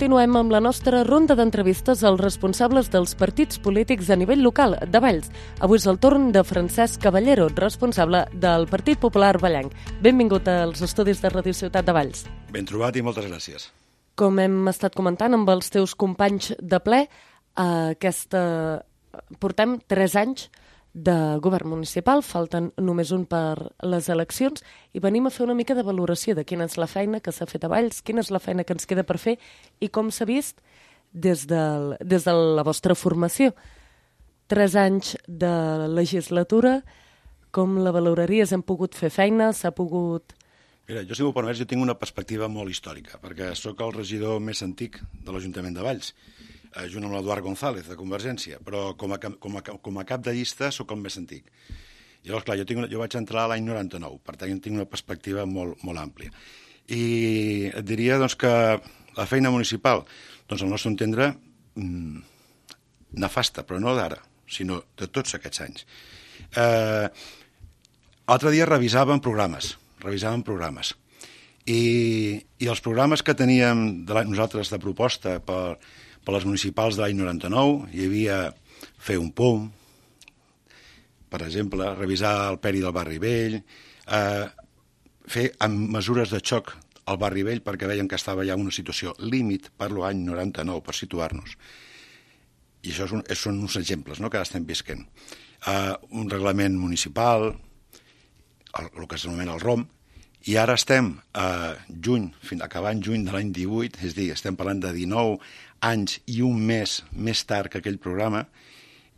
continuem amb la nostra ronda d'entrevistes als responsables dels partits polítics a nivell local de Valls. Avui és el torn de Francesc Caballero, responsable del Partit Popular Vallenc. Benvingut als estudis de Radio Ciutat de Valls. Ben trobat i moltes gràcies. Com hem estat comentant amb els teus companys de ple, portem 3 anys de govern municipal, falten només un per les eleccions i venim a fer una mica de valoració de quina és la feina que s'ha fet a Valls, quina és la feina que ens queda per fer i com s'ha vist des de la vostra formació. 3 anys de legislatura, com la valoraries? Hem pogut fer feina? S'ha pogut... Mira, jo, si m'ho permets, jo tinc una perspectiva molt històrica, perquè sóc el regidor més antic de l'Ajuntament de Valls, junt amb l'Eduard González, de Convergència, però com a cap de llista sóc el més antic. Llavors, clar, jo vaig entrar l'any 99, per tant, tinc una perspectiva molt àmplia. I et diria doncs, que la feina municipal, doncs, al nostre entendre, nefasta, però no d'ara, sinó de tots aquests anys. L'altre dia revisàvem programes, i els programes que teníem nosaltres de proposta per les municipals de l'any 99, hi havia fer un POM, per exemple, revisar el peri del barri vell, fer amb mesures de xoc al barri vell perquè veiem que estava ja en una situació límit, parlo any 99, per situar-nos. I això són uns exemples, no?, que ara estem visquent. Un reglament municipal, el que s'anomena el ROM, i ara estem acabant juny de l'any 18, és a dir, estem parlant de 19 anys i un mes més tard que aquell programa,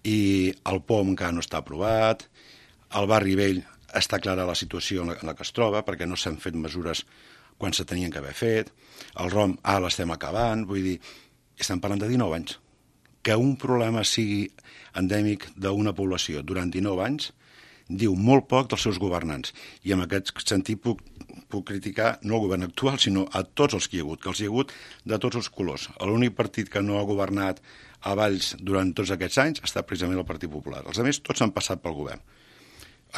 i el POM encara no està aprovat, el barri vell està clara la situació en la que es troba, perquè no s'han fet mesures quan se tenien que haver fet, el ROM ara l'estem acabant, vull dir, estem parlant de 19 anys. Que un problema sigui endèmic d'una població durant 19 anys diu molt poc dels seus governants. I en aquest sentit puc criticar no el govern actual, sinó a tots els que hi ha hagut, que els hi ha hagut de tots els colors. L'únic partit que no ha governat a Valls durant tots aquests anys ha estat precisament el Partit Popular. Els altres tots han passat pel govern.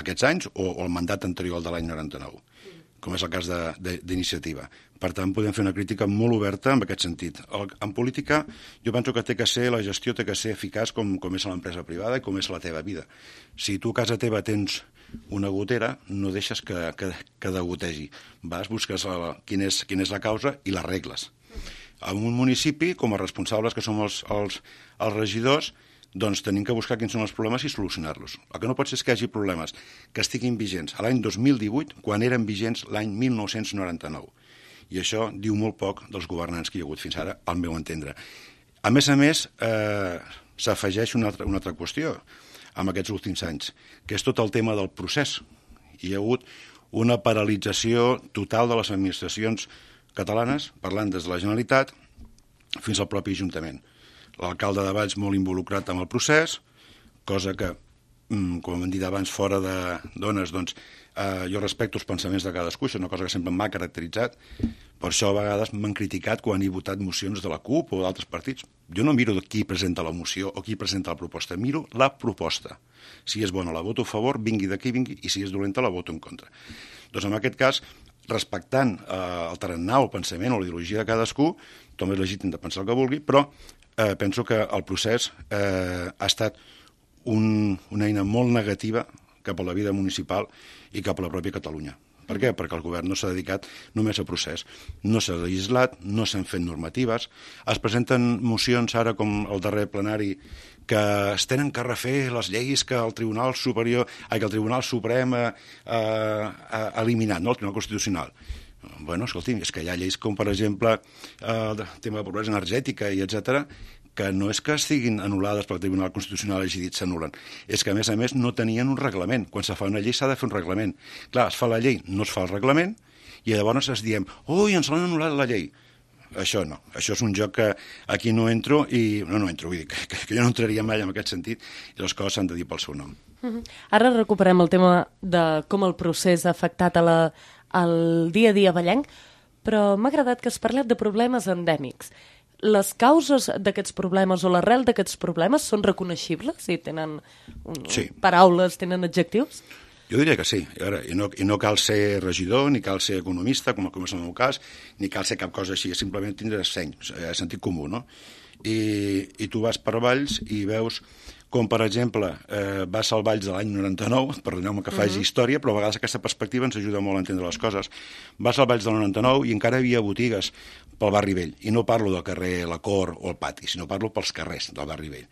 Aquests anys o el mandat anterior de l'any 99, com és el cas d'Iniciativa. Per tant, podem fer una crítica molt oberta en aquest sentit. En política, jo penso que la gestió té que ser eficaç com és a l'empresa privada i com és la teva vida. Si tu a casa teva tens una gotera, no deixes que degotegi. Busques quina és la causa i l'arregles. En un municipi, com a responsables que som els regidors, doncs tenim que buscar quins són els problemes i solucionar-los. El que no pot ser és que hi hagi problemes que estiguin vigents a l'any 2018 quan eren vigents l'any 1999. I això diu molt poc dels governants que hi ha hagut fins ara, al meu entendre. A més, s'afegeix una altra qüestió en aquests últims anys, que és tot el tema del procés. Hi ha hagut una paralització total de les administracions catalanes, parlant des de la Generalitat fins al propi Ajuntament. L'alcalde de Valls molt involucrat amb el procés, cosa que, com hem dit abans, fora de dones, doncs, jo respecto els pensaments de cadascú, això és una cosa que sempre m'ha caracteritzat, per això a vegades m'han criticat quan he votat mocions de la CUP o d'altres partits. Jo no miro qui presenta la moció o qui presenta la proposta, miro la proposta. Si és bona la voto a favor, vingui de qui vingui, i si és dolenta la voto en contra. Doncs en aquest cas, respectant el tarannà, el pensament o la ideologia de cadascú, tothom és legítim de pensar el que vulgui, però penso que el procés ha estat una eina molt negativa cap a la vida municipal i cap a la pròpia Catalunya. Per què? Perquè el govern no s'ha dedicat només a procés. No s'ha legislat, no s'han fet normatives, es presenten mocions ara com el darrer plenari que es tenen que refer les lleis que el Tribunal Suprem ha eliminat, no? El Tribunal Constitucional. Bueno, escolti'm, és que hi ha lleis com, per exemple, el tema de pobresa energètica i etcètera, que no és que estiguin anul·lades pel Tribunal Constitucional hagi dit s'anul·len, és que a més no tenien un reglament. Quan se fa una llei s'ha de fer un reglament. Clar, es fa la llei, no es fa el reglament, i llavors es diem, ui, ens l'han anul·lat la llei. Això no, això és un joc que aquí no entro, vull dir que jo no entraria mai en aquest sentit, i les coses s'han de dir pel seu nom. Ara recuperem el tema de com el procés ha afectat al dia a dia vallenc, però m'ha agradat que has parlat de problemes endèmics. Les causes d'aquests problemes o l'arrel d'aquests problemes són reconeixibles? Sí, tenen paraules, tenen adjectius? Jo diria que sí, i no cal ser regidor, ni cal ser economista, com és el meu cas, ni cal ser cap cosa així, simplement tindre seny, sentit comú, no? I tu vas per Valls i veus com, per exemple, vas al Valls de l'any 99, perdoneu-me que faci història, però a vegades aquesta perspectiva ens ajuda molt a entendre les coses. Vas al Valls del 99 i encara hi havia botigues pel barri vell, i no parlo del carrer La Cor o el Pati, sinó parlo pels carrers del barri vell.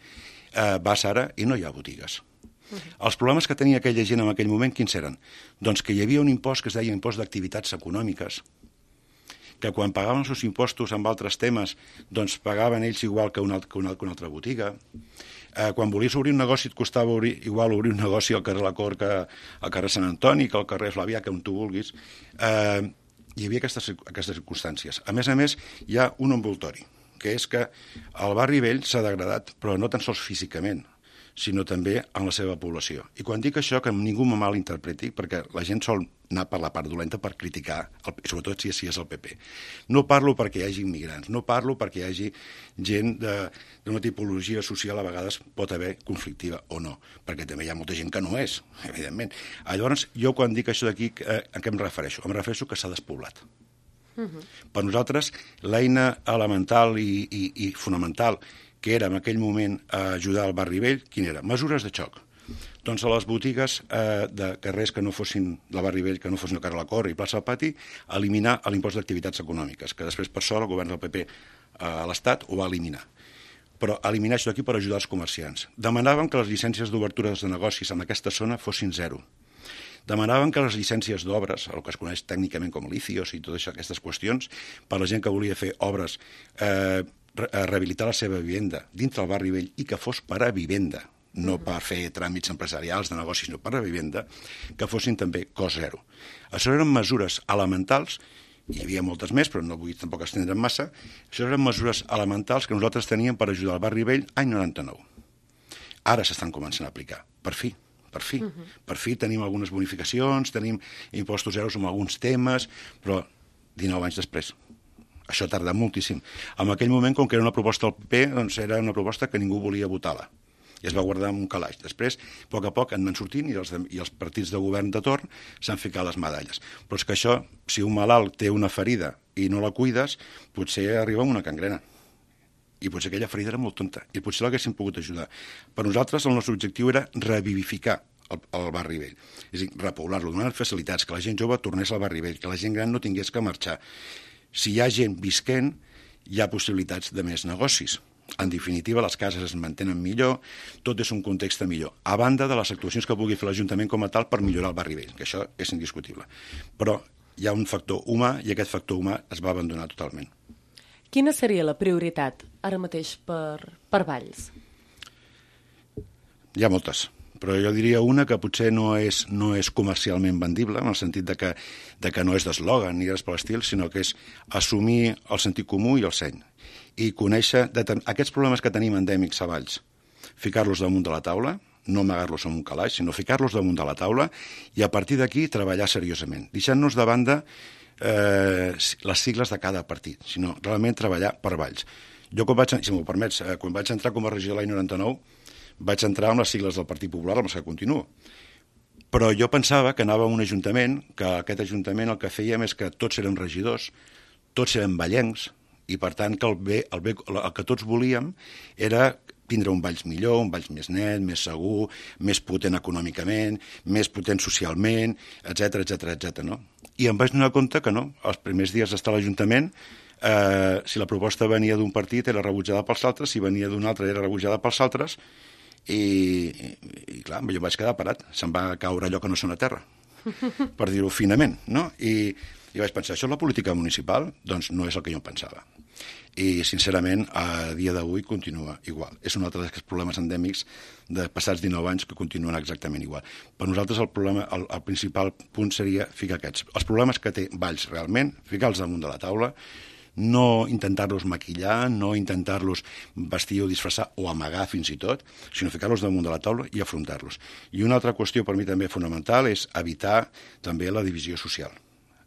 Vas ara i no hi ha botigues. Els problemes que tenia aquella gent en aquell moment, quins eren? Doncs que hi havia un impost que es deia impost d'activitats econòmiques, que quan pagaven els seus impostos amb altres temes, doncs pagaven ells igual que una altra botiga. Quan volies obrir un negoci et costava igual obrir un negoci al carrer La Cor que al carrer Sant Antoni, que al carrer Flavià, que on tu vulguis. Hi havia aquestes circumstàncies. A més, hi ha un envoltori, que és que el barri vell s'ha degradat, però no tan sols físicament, sinó també en la seva població. I quan dic això, que ningú me malinterpreti, perquè la gent sol anar per la part dolenta per criticar, sobretot si és el PP. No parlo perquè hi hagi immigrants, no parlo perquè hi hagi gent d'una tipologia social a vegades pot haver conflictiva o no, perquè també hi ha molta gent que no és, evidentment. Llavors, jo quan dic això d'aquí, a què em refereixo? Em refereixo que s'ha despoblat. Per nosaltres, l'eina elemental i fonamental que era en aquell moment ajudar al barri vell, quin era? Mesures de xoc. Doncs a les botigues de carrers que no fossin del barri vell, que no fossin el carrer La Cor i plaça del Pati, eliminar l'impost d'activitats econòmiques, que després, per sort, el govern del PP a l'Estat ho va eliminar. Però eliminar això d'aquí per ajudar els comerciants. Demanàvem que les llicències d'obertures de negocis en aquesta zona fossin zero. Demanaven que les llicències d'obres, el que es coneix tècnicament com licios i totes aquestes qüestions, per la gent que volia fer obres, rehabilitar la seva vivenda dintre del barri vell i que fos per a vivenda, no per fer tràmits empresarials de negocis, sinó per a vivenda, que fossin també cost zero. Això eren mesures elementals, hi havia moltes més, però no vull tampoc estendre'm massa, això eren mesures elementals que nosaltres teníem per ajudar al barri vell any 99. Ara s'estan començant a aplicar, per fi. Per fi tenim algunes bonificacions, tenim impostos zeros en alguns temes, però 19 anys després. Això tarda moltíssim. En aquell moment, com que era una proposta del PP, doncs era una proposta que ningú volia votar-la. I es va guardar en un calaix. Després, a poc han anat sortint i els partits de govern de torn s'han ficat les medalles. Però és que això, si un malalt té una ferida i no la cuides, potser arriba amb una gangrena. I potser aquella ferida era molt tonta. I potser l'haguéssim pogut ajudar. Per nosaltres, el nostre objectiu era revivificar el barri vell. És a dir, repoblar-lo, donar facilitats, que la gent jove tornés al barri vell, que la gent gran no tingués que marxar. Si hi ha gent visquent, hi ha possibilitats de més negocis. En definitiva, les cases es mantenen millor, tot és un context millor, a banda de les actuacions que pugui fer l'Ajuntament com a tal per millorar el barri vell, que això és indiscutible. Però hi ha un factor humà i aquest factor humà es va abandonar totalment. Quina seria la prioritat ara mateix per Valls? Hi ha moltes, però jo diria una que potser no és comercialment vendible, en el sentit de que no és d'eslògan ni res per l'estil, sinó que és assumir el sentit comú i el seny, i conèixer aquests problemes que tenim endèmics a Valls, ficar-los damunt de la taula, no amagar-los en un calaix, sinó ficar-los damunt de la taula i a partir d'aquí treballar seriosament, deixant-nos de banda les sigles de cada partit, sinó realment treballar per Valls. Jo, si m'ho permets, quan vaig entrar com a regidor l'any 99, vaig entrar amb les sigles del Partit Popular, amb les que continuo. Però jo pensava que anava a un ajuntament, que aquest ajuntament el que fèiem és que tots érem regidors, tots érem vallencs, i per tant que el que tots volíem era tindre un Valls millor, un Valls més net, més segur, més potent econòmicament, més potent socialment, etc. No? I em vaig donar compte que no, els primers dies d'estar a l'Ajuntament, si la proposta venia d'un partit era rebutjada pels altres, si venia d'un altre era rebutjada pels altres, i clar, jo vaig quedar parat, se'm va caure allò que no sona a terra, per dir-ho finament, no? I vaig pensar, això és la política municipal? Doncs no és el que jo em pensava. I, sincerament, a dia d'avui continua igual. És un altre d'aquests problemes endèmics de passats 19 anys que continuen exactament igual. Per nosaltres el principal punt seria ficar aquests. Els problemes que té Valls realment, ficar-los damunt de la taula, no intentar-los maquillar, no intentar-los vestir o disfressar o amagar fins i tot, sinó ficar-los damunt de la taula i afrontar-los. I una altra qüestió per mi també fonamental és evitar també la divisió social.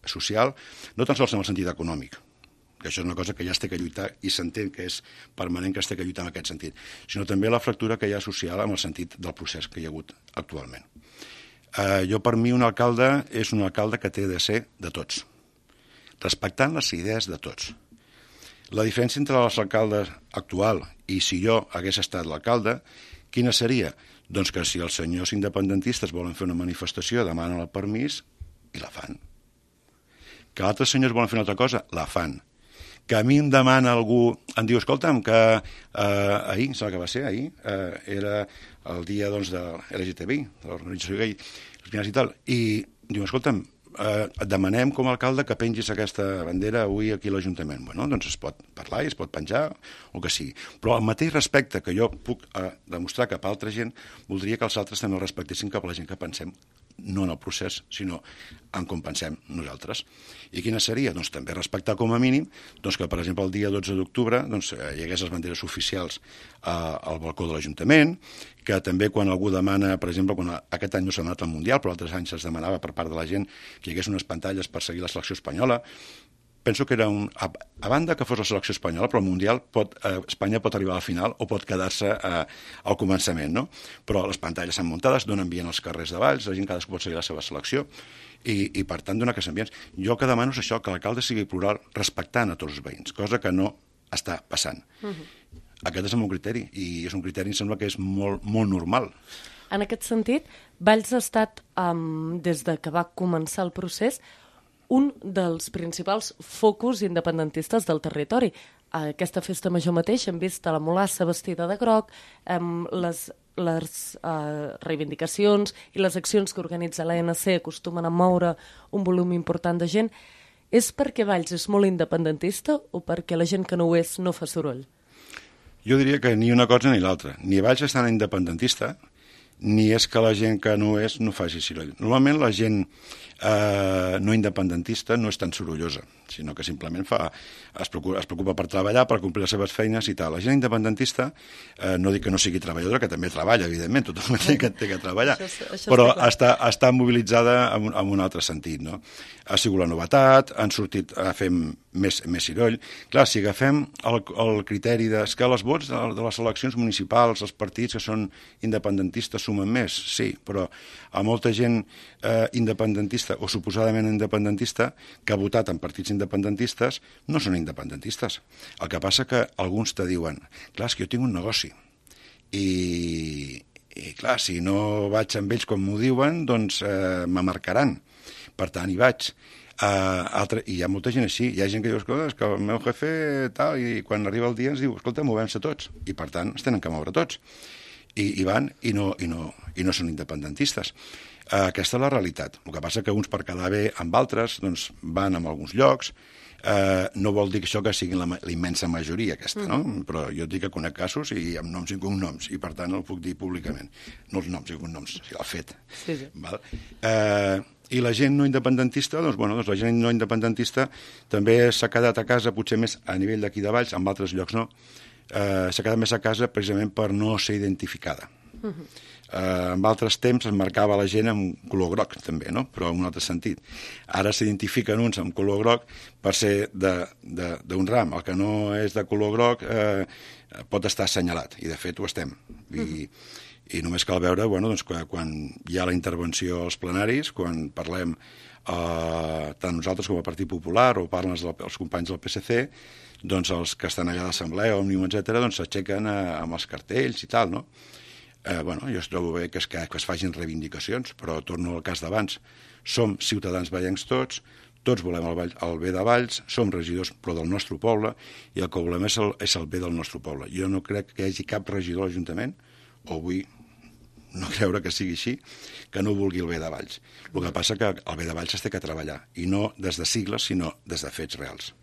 Social, no tan sols en el sentit econòmic, que això és una cosa que ja es té que lluitar i s'entén que és permanent que es té que lluitar en aquest sentit, sinó també la fractura que hi ha social en el sentit del procés que hi ha hagut actualment. Per mi un alcalde és un alcalde que té de ser de tots, respectant les idees de tots. La diferència entre l'alcalde actual i si jo hagués estat l'alcalde, quina seria? Doncs que si els senyors independentistes volen fer una manifestació, demanen el permís i la fan. Que altres senyors volen fer una altra cosa, la fan. Que a mi em demana algú, em diu, escolta'm, que ahir, sembla que va ser ahir, era el dia doncs, de LGTBI, de l'organització gay, i tal, i diu, escolta'm, et demanem com a alcalde que pengis aquesta bandera avui aquí a l'Ajuntament. Bueno, doncs es pot parlar i es pot penjar, o que sigui. Però el mateix respecte que jo puc demostrar cap a altra gent, voldria que els altres també el respectessin cap a la gent que pensem, no en el procés, sinó en com pensem nosaltres. I quina seria? Doncs també respectar com a mínim doncs que, per exemple, el dia 12 d'octubre doncs, hi hagués les banderes oficials al balcó de l'Ajuntament, que també quan algú demana, per exemple, quan aquest any no s'ha anat al Mundial, però altres anys es demanava per part de la gent que hi hagués unes pantalles per seguir la selecció espanyola, penso que era a banda que fos la selecció espanyola, però el Mundial Espanya pot arribar a la final o pot quedar-se al començament, no? Però les pantalles s'han muntades, donen via als carrers de Valls, la gent cadascú pot seguir la seva selecció i per tant donar aquests ambients. Jo el que demano és això, que l'alcalde sigui plural respectant a tots els veïns, cosa que no està passant. Aquest és el meu criteri i és un criteri, em sembla que és molt, molt normal. En aquest sentit, Valls ha estat, des de que va començar el procés, un dels principals focus independentistes del territori. A aquesta festa major mateix hem vist a la Mulassa vestida de groc, les reivindicacions i les accions que organitza l'ANC acostumen a moure un volum important de gent. És perquè Valls és molt independentista o perquè la gent que no ho és no fa soroll? Jo diria que ni una cosa ni l'altra. Ni Valls és tan independentista, ni és que la gent que no és no faci soroll. Normalment la gent no independentista no és tan sorollosa, sinó que simplement es preocupa per treballar, per complir les seves feines i tal. La gent independentista, no dic que no sigui treballadora, que també treballa, evidentment, tothom té que treballar, però està mobilitzada en un altre sentit, no? Ha sigut la novetat, han sortit a fer més soroll. Clar, si agafem el criteri que els vots de les eleccions municipals, els partits que són independentistes sumen més, sí, però a molta gent independentista o suposadament independentista que ha votat en partits independentistes no són independentistes. El que passa que alguns te diuen, clar, és que jo tinc un negoci i clar, si no vaig amb ells com m'ho diuen, doncs me marcaran. Per tant, hi vaig. I hi ha molta gent així. Hi ha gent que diu, escolta, és que el meu jefe tal, i quan arriba el dia ens diu, escolta, movem-se tots. I per tant, es tenen que moure tots. I van i no són independentistes. Aquesta és la realitat. El que passa que uns per quedar bé amb altres doncs van a alguns llocs. No vol dir que això que sigui la immensa majoria aquesta, no? Però jo dic que conec casos i amb noms i cognoms i per tant el puc dir públicament. No els noms i cognoms, sinó el fet. Sí. Val? I la gent no independentista, doncs la gent no independentista també s'ha quedat a casa, potser més a nivell d'aquí de Valls, en altres llocs no, s'ha quedat més a casa precisament per no ser identificada. En altres temps es marcava la gent amb color groc també, no? Però en un altre sentit. Ara s'identifiquen uns amb color groc per ser d'un ram. El que no és de color groc pot estar assenyalat, i de fet ho estem. I només cal veure doncs, quan hi ha la intervenció als plenaris, quan parlem tant nosaltres com el Partit Popular o parlen els companys del PSC, doncs els que estan allà a l'Assemblea, Òmnium, etc., doncs s'aixequen amb els cartells i tal, no? Jo trobo bé que es facin reivindicacions, però torno al cas d'abans. Som ciutadans vallencs tots volem el bé de Valls, som regidors però del nostre poble, i el que volem és el bé del nostre poble. Jo no crec que hi hagi cap regidor a l'Ajuntament, o vull no creure que sigui així, que no vulgui el bé de Valls. El que passa que el bé de Valls es té que treballar, i no des de sigles, sinó des de fets reals.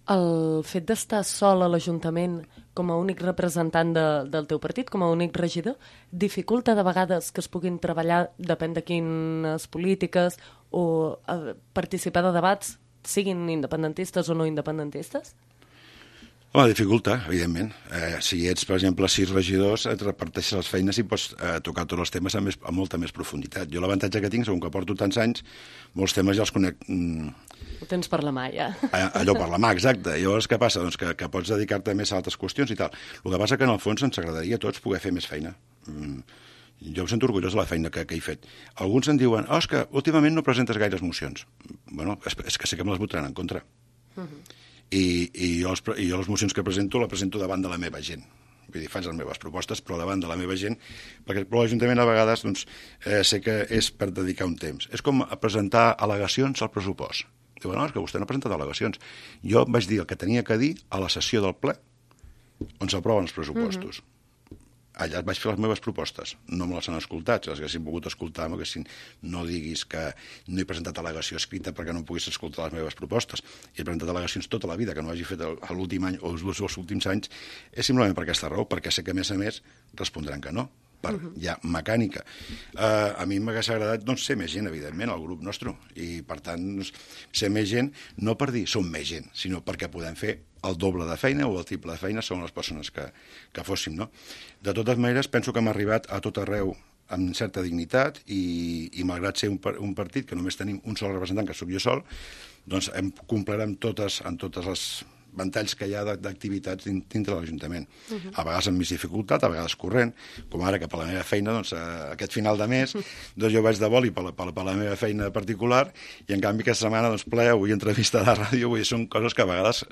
El fet d'estar sol a l'Ajuntament com a únic representant del teu partit, com a únic regidor, dificulta de vegades que es puguin treballar, depèn de quines polítiques, o participar de debats, siguin independentistes o no independentistes? Home, dificulta, evidentment. Si ets, per exemple, 6 regidors, et reparteixes les feines i pots tocar tots els temes amb molta més profunditat. Jo l'avantatge que tinc, segons que porto tants anys, molts temes ja els conec... Ho tens per la mà, ja. Allò per la mà, exacte. Llavors, què passa? Doncs que pots dedicar-te més a altres qüestions i tal. El que passa que, en el fons, ens agradaria a tots poder fer més feina. Jo em sento orgullós de la feina que he fet. Alguns em diuen, és que últimament no presentes gaires mocions. Bueno, és que sé que me les votaran en contra. I jo les mocions que presento, la presento davant de la meva gent. Vull dir, faig les meves propostes, però davant de la meva gent, perquè l'Ajuntament a vegades doncs, sé que és per dedicar un temps. És com presentar al·legacions al pressupost. Diu, no, és que vostè no ha presentat al·legacions. Jo vaig dir el que tenia que dir a la sessió del ple, on s'aproven els pressupostos. Allà vaig fer les meves propostes. No me les han escoltat. Si les haguessin pogut escoltar, no diguis que no he presentat al·legació escrita perquè no puguis escoltar les meves propostes. He presentat al·legacions tota la vida, que no hagi fet l'últim any o els últims anys, és simplement per aquesta raó, perquè sé que, a més, respondran que no, per ja mecànica. A mi m'hagués agradat ser més gent, evidentment, al grup nostre, i, per tant, ser més gent, no per dir som més gent, sinó perquè podem fer el doble de feina o el triple de feina són les persones que fóssim, no? De totes maneres, penso que hem arribat a tot arreu amb certa dignitat i malgrat ser un partit que només tenim un sol representant, que sóc jo sol, doncs hem complert amb totes les ventalls que hi ha d'activitats dintre de l'Ajuntament. A vegades amb més dificultat, a vegades corrent, com ara que per la meva feina, doncs, aquest final de mes, doncs jo vaig de boli per la meva feina particular i en canvi aquesta setmana doncs, ple, avui entrevista de ràdio, vull dir, són coses que a vegades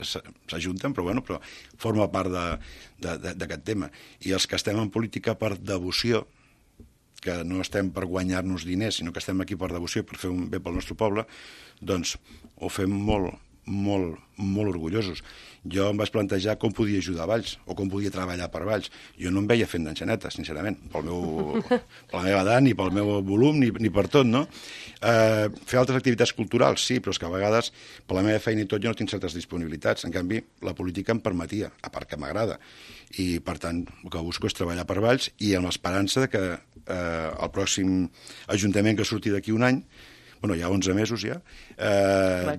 s'ajunten, però forma part d'aquest tema. I els que estem en política per devoció, que no estem per guanyar-nos diners, sinó que estem aquí per devoció, per fer un bé pel nostre poble, doncs ho fem molt orgullosos. Jo em vaig plantejar com podia ajudar a Valls o com podia treballar per Valls. Jo no em veia fent d'enxaneta, sincerament, per la meva edat, ni pel meu volum, ni per tot, no? Fer altres activitats culturals, sí, però és que a vegades, per la meva feina i tot, jo no tinc certes disponibilitats. En canvi, la política em permetia, a part que m'agrada. I, per tant, el que busco és treballar per Valls i amb l'esperança que el pròxim ajuntament que surti d'aquí un any, hi ha 11 mesos ja,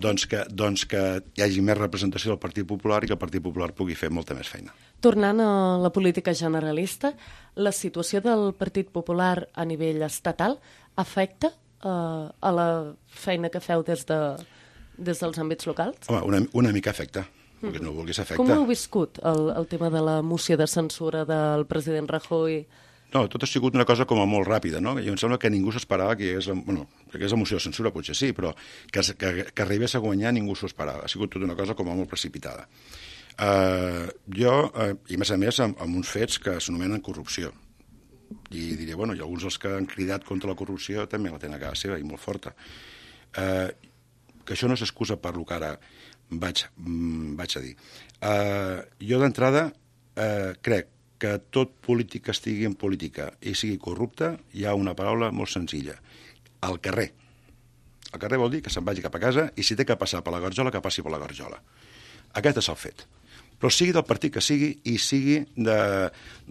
doncs que hi hagi més representació del Partit Popular i que el Partit Popular pugui fer molta més feina. Tornant a la política generalista, la situació del Partit Popular a nivell estatal afecta a la feina que feu des dels àmbits locals? Home, una mica afecta. Perquè no vulguis afecta. Com ho heu viscut, el tema de la moció de censura del president Rajoy? No, tot ha sigut una cosa com a molt ràpida, no? I em sembla que ningú s'esperava que hi hagués... que hagués la moció de censura, potser sí, però que arribés a guanyar ningú s'ho esperava. Ha sigut tota una cosa com a molt precipitada. I a més, amb uns fets que s'anomenen corrupció. I diré, i alguns dels que han cridat contra la corrupció també la tenen a casa seva i molt forta. Que això no s'excusa per lo que ara vaig a dir. Jo d'entrada crec que tot polític que estigui en política i sigui corrupte, hi ha una paraula molt senzilla. Al carrer. Al carrer vol dir que se'n vagi cap a casa i si té que passar per la garjola, que passi per la garjola. Aquest és el fet. Però sigui del partit que sigui i sigui de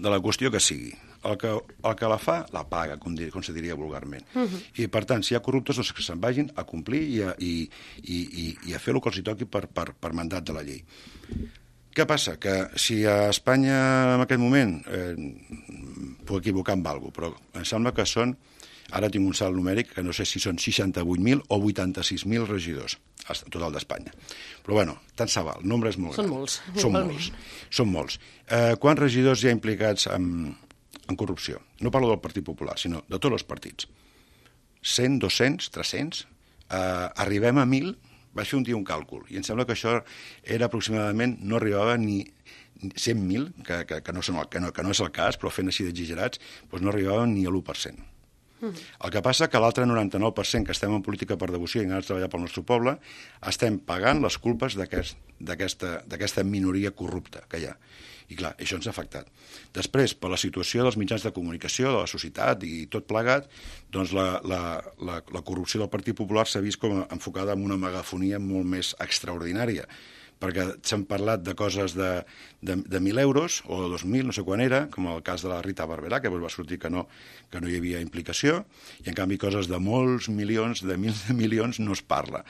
la qüestió que sigui. El que la fa, la paga, com se diria vulgarment. I, per tant, si hi ha corruptes, doncs que se'n vagin a complir i a fer el que els toqui per mandat de la llei. Què passa? Que si a Espanya en aquest moment puc equivocar amb alguna cosa, però em sembla que són, ara tinc un salt numèric, que no sé si són 68.000 o 86.000 regidors, en total d'Espanya. Però tant se val, el nombre és molt gran. Són molts. Quants regidors hi ha implicats en corrupció? No parlo del Partit Popular, sinó de tots els partits. 100, 200, 300? Arribem a 1.000? Vaig fer un dia un càlcul, i em sembla que això era aproximadament, no arribava ni 100.000, que no és el cas, però fent així d'exagerats, doncs no arribava ni a l'1%. El que passa que l'altre 99% que estem en política per devoció i ganes de treballar pel nostre poble, estem pagant les culpes d'aquesta minoria corrupta que hi ha. I clar, això ens ha afectat. Després, per la situació dels mitjans de comunicació, de la societat i tot plegat, doncs la corrupció del Partit Popular s'ha vist com enfocada en una megafonia molt més extraordinària, perquè s'han parlat de coses de 1.000 euros o de 2.000, no sé quan era, com el cas de la Rita Barberà, que va sortir que no hi havia implicació, i en canvi coses de molts milions, de mils de milions, no es parla.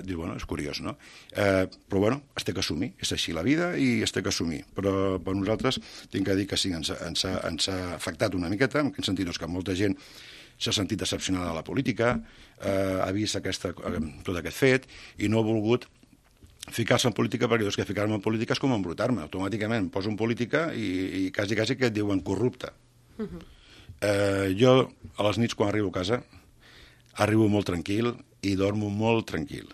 Diu, és curiós, no? Però, es té que assumir, és així la vida i es té que assumir. Però per nosaltres tinc que dir que sí, ens ha afectat una miqueta, en quin sentit? Que molta gent s'ha sentit decepcionada de la política, ha vist tot aquest fet i no ha volgut ficar-se en política perquè dius que ficar-me en política és com embrutar-me. Automàticament em poso en política i quasi que et diuen corrupte. Jo, a les nits, quan arribo a casa, arribo molt tranquil i dormo molt tranquil.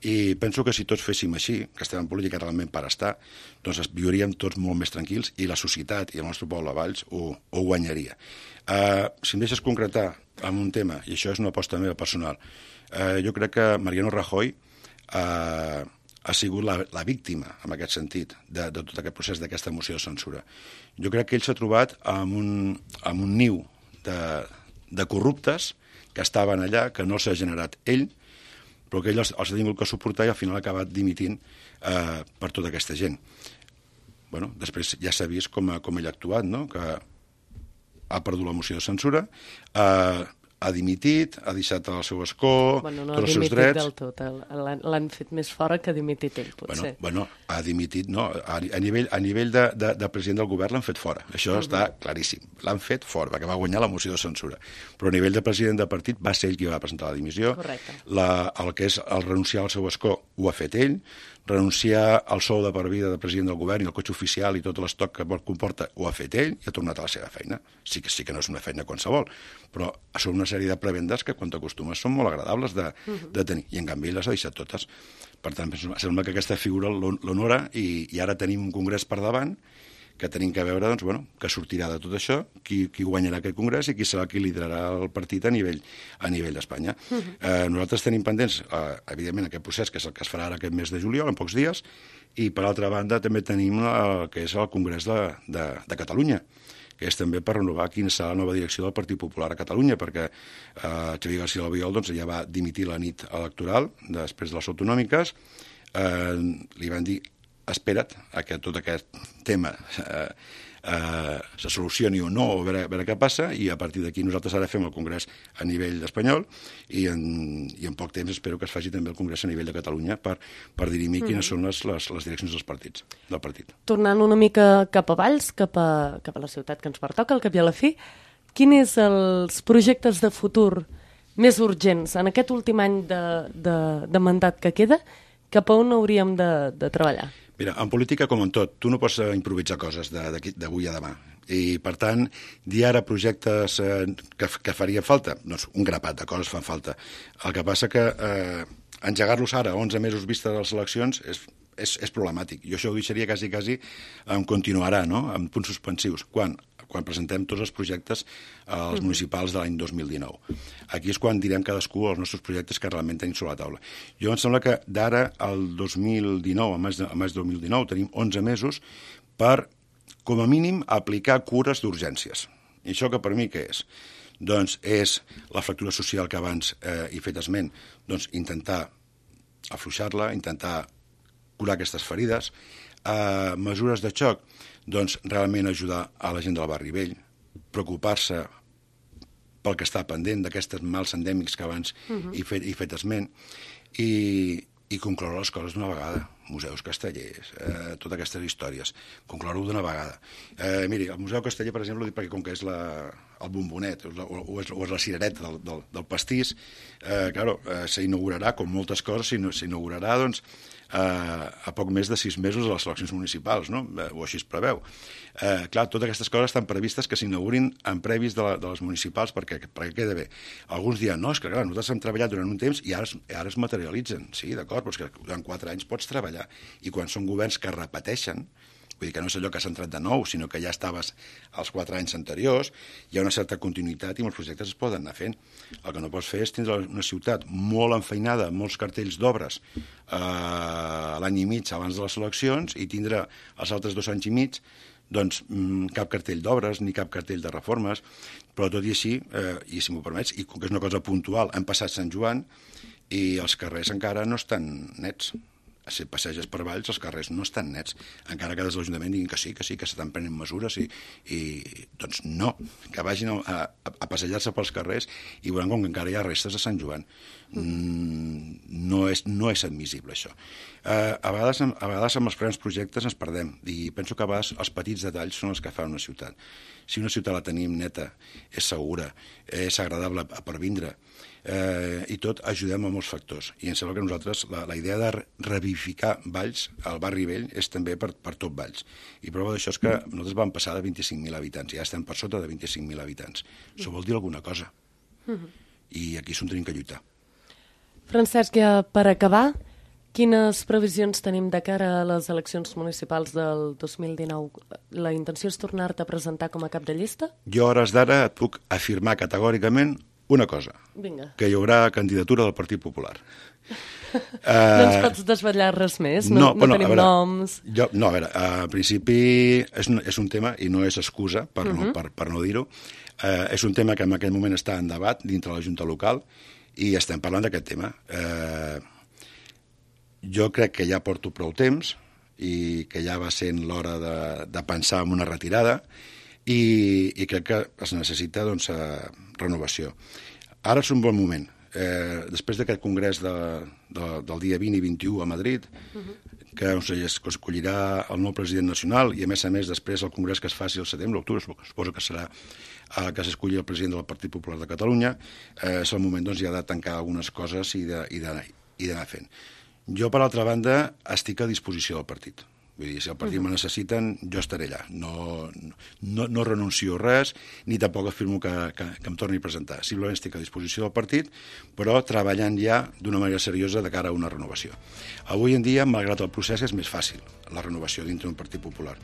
I penso que si tots féssim així, que estem en política realment per estar, doncs viuríem tots molt més tranquils i la societat i el nostre poble de Valls ho guanyaria. Si em deixes concretar en un tema, i això és una aposta meva personal, jo crec que Mariano Rajoy ha sigut la víctima, en aquest sentit, de tot aquest procés d'aquesta moció de censura. Jo crec que ell s'ha trobat amb un niu de corruptes que estaven allà, que no s'ha generat ell, però que ell els ha tingut que suportar i al final ha acabat dimitint per tota aquesta gent. Bueno, després ja s'ha vist com ell ha actuat, no? Que ha perdut la moció de censura, ha dimitit, ha deixat el seu escó, tots els seus drets... No ha dimitit del tot, l'han fet més fora que ha dimitit ell, potser. Bueno, ha dimitit, no, a nivell de president del govern l'han fet fora, això està claríssim, l'han fet fora, perquè va guanyar la moció de censura, però a nivell de president de partit va ser ell qui va presentar la dimissió. Correcte. El que és el renunciar al seu escó ho ha fet ell, renunciar al sou de per vida de president del govern i el cotxe oficial i tot l'estoc que comporta ho ha fet ell i ha tornat a la seva feina. Sí que no és una feina qualsevol, però són una sèrie de prebendes que quan t'acostumes són molt agradables de tenir, i en canvi les ha deixat totes. Per tant, sembla que aquesta figura l'honora i ara tenim un congrés per davant que tenim que veure, doncs, bueno, que sortirà de tot això, qui guanyarà aquest congrés i qui serà qui liderarà el partit a nivell d'Espanya. Nosaltres tenim pendents, evidentment, aquest procés, que és el que es farà ara aquest mes de juliol, en pocs dies, i per altra banda també tenim el que és el Congrés de Catalunya, que és també per renovar quina serà la nova direcció del Partit Popular a Catalunya, perquè Xavier García Albiol doncs, ja va dimitir la nit electoral després de les autonòmiques, li van dir espera't a que tot aquest tema se solucioni o no, o a veure què passa, i a partir d'aquí nosaltres ara fem el Congrés a nivell espanyol i en poc temps espero que es faci també el Congrés a nivell de Catalunya per dirimir quines són les direccions del partit. Tornant una mica cap a Valls, cap a la ciutat que ens pertoca, al cap i a la fi, quins són els projectes de futur més urgents en aquest últim any de mandat que queda? Cap a on hauríem de treballar? Mira, en política, com en tot, tu no pots improvisar coses d'avui a demà. I, per tant, dir ara projectes que farien falta, doncs un grapat de coses fan falta. El que passa que engegar-los ara, 11 mesos vista de les eleccions, és problemàtic. Jo això ho deixaria quasi en continuarà, no?, amb punts suspensius. Quan presentem tots els projectes als municipals de l'any 2019. Aquí és quan direm cadascú els nostres projectes que realment tenim sobre la taula. Jo em sembla que d'ara al 2019, a maig 2019, tenim 11 mesos per, com a mínim, aplicar cures d'urgències. I això que per mi què és? Doncs és la fractura social que abans he fet esment, doncs intentar afluixar-la, intentar curar aquestes ferides, mesures de xoc, doncs realment ajudar a la gent del barri vell, preocupar-se pel que està pendent d'aquests mals endèmics que abans he fet esment, i concloure les coses d'una vegada. Museus castellers, totes aquestes històries, concloure-ho d'una vegada. Miri, el Museu Casteller, per exemple, ho dic perquè com que és el bombonet o és la cirereta del pastís, s'inaugurarà, com moltes coses, s'inaugurarà, doncs, a poc més de 6 mesos de les eleccions municipals, no? O així es preveu. Clar, totes aquestes coses estan previstes que s'inaugurin en previs de les municipals perquè queda bé. Alguns diran, no, és que clar, nosaltres hem treballat durant un temps i ara es materialitzen. Sí, d'acord, però és que durant 4 anys pots treballar. I quan són governs que repeteixen, vull dir que no és allò que s'ha entrat de nou, sinó que ja estaves als 4 anys anteriors, hi ha una certa continuïtat i molts projectes es poden anar fent. El que no pots fer és tindre una ciutat molt enfeinada, molts cartells d'obres l'any i mig abans de les eleccions i tindre els altres 2 anys i mig doncs cap cartell d'obres ni cap cartell de reformes, però tot i així, i si m'ho permets, i com que és una cosa puntual, han passat Sant Joan i els carrers encara no estan nets. Si passeges per Valls, els carrers no estan nets, encara que des de l'Ajuntament diguin que sí, que s'estan prenent mesures i doncs no, que vagin a passejar-se pels carrers i veuran com que encara hi ha restes de Sant Joan. No és admissible, això. A vegades amb els grans projectes ens perdem i penso que a vegades els petits detalls són els que fan una ciutat. Si una ciutat la tenim neta, és segura, és agradable per vindre, i tot ajudem a molts factors. I em sembla que nosaltres, la idea de revivificar Valls, el barri vell, és també per tot Valls. I prova d'això és que nosaltres vam passar de 25.000 habitants, ja estem per sota de 25.000 habitants. Això vol dir alguna cosa. I aquí s'ho tenim que lluitar. Francesc, ja per acabar, quines previsions tenim de cara a les eleccions municipals del 2019? La intenció és tornar-te a presentar com a cap de llista? Jo, a hores d'ara, et puc afirmar categòricament una cosa. Vinga. Que hi haurà candidatura del Partit Popular. No ens pots desvetllar res més? No tenim noms? A veure, a principi és un tema, i no és excusa per no dir-ho, és un tema que en aquell moment està en debat dintre la Junta Local i estem parlant d'aquest tema. Jo crec que ja porto prou temps i que ja va sent l'hora de pensar en una retirada i crec que es necessita renovació. Ara és un bon moment. Després d'aquest congrés del dia 20 i 21 a Madrid, que escollirà el nou president nacional i, a més, després el congrés que es faci al setembre, octubre, suposo que serà que s'escolli el president del Partit Popular de Catalunya, és el moment ja de tancar algunes coses i d'anar fent. Jo, per altra banda, estic a disposició del partit. Vull dir, si el partit me necessiten, jo estaré allà. No renuncio a res, ni tampoc afirmo que em torni a presentar. Simplement estic a disposició del partit, però treballant ja d'una manera seriosa de cara a una renovació. Avui en dia, malgrat el procés, és més fàcil la renovació dintre d'un partit popular.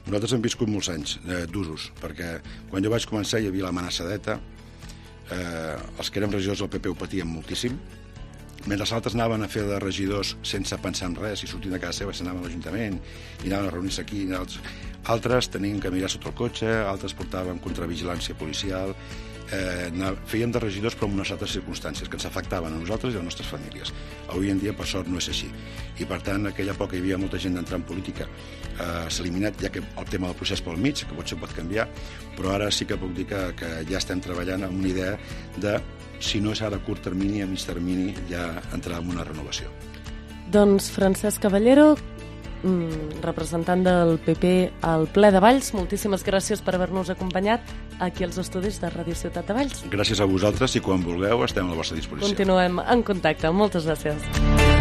Nosaltres hem viscut molts anys d'usos, perquè quan jo vaig començar hi havia l'amenaça d'ETA, els que érem regidors del PP ho patien moltíssim, mentre els altres anaven a fer de regidors sense pensar en res, i sortint de casa seva s'anaven a l'Ajuntament i anaven a reunir-se aquí, altres tenien que mirar sota el cotxe, altres portaven contravigilància policial, fèiem de regidors però en unes altres circumstàncies que ens afectaven a nosaltres i a les nostres famílies. Avui en dia, per sort, no és així. I per tant, en aquella època hi havia molta gent d'entrar en política, s'ha eliminat ja que el tema del procés pel mig, que potser pot canviar, però ara sí que puc dir que ja estem treballant amb una idea de, si no és ara a curt termini, a mig termini, ja entrar en una renovació. Doncs Francesc Caballero, representant del PP al ple de Valls, moltíssimes gràcies per haver-nos acompanyat aquí als estudis de Ràdio Ciutat de Valls. Gràcies a vosaltres i quan vulgueu estem a la vostra disposició. Continuem en contacte. Moltes gràcies.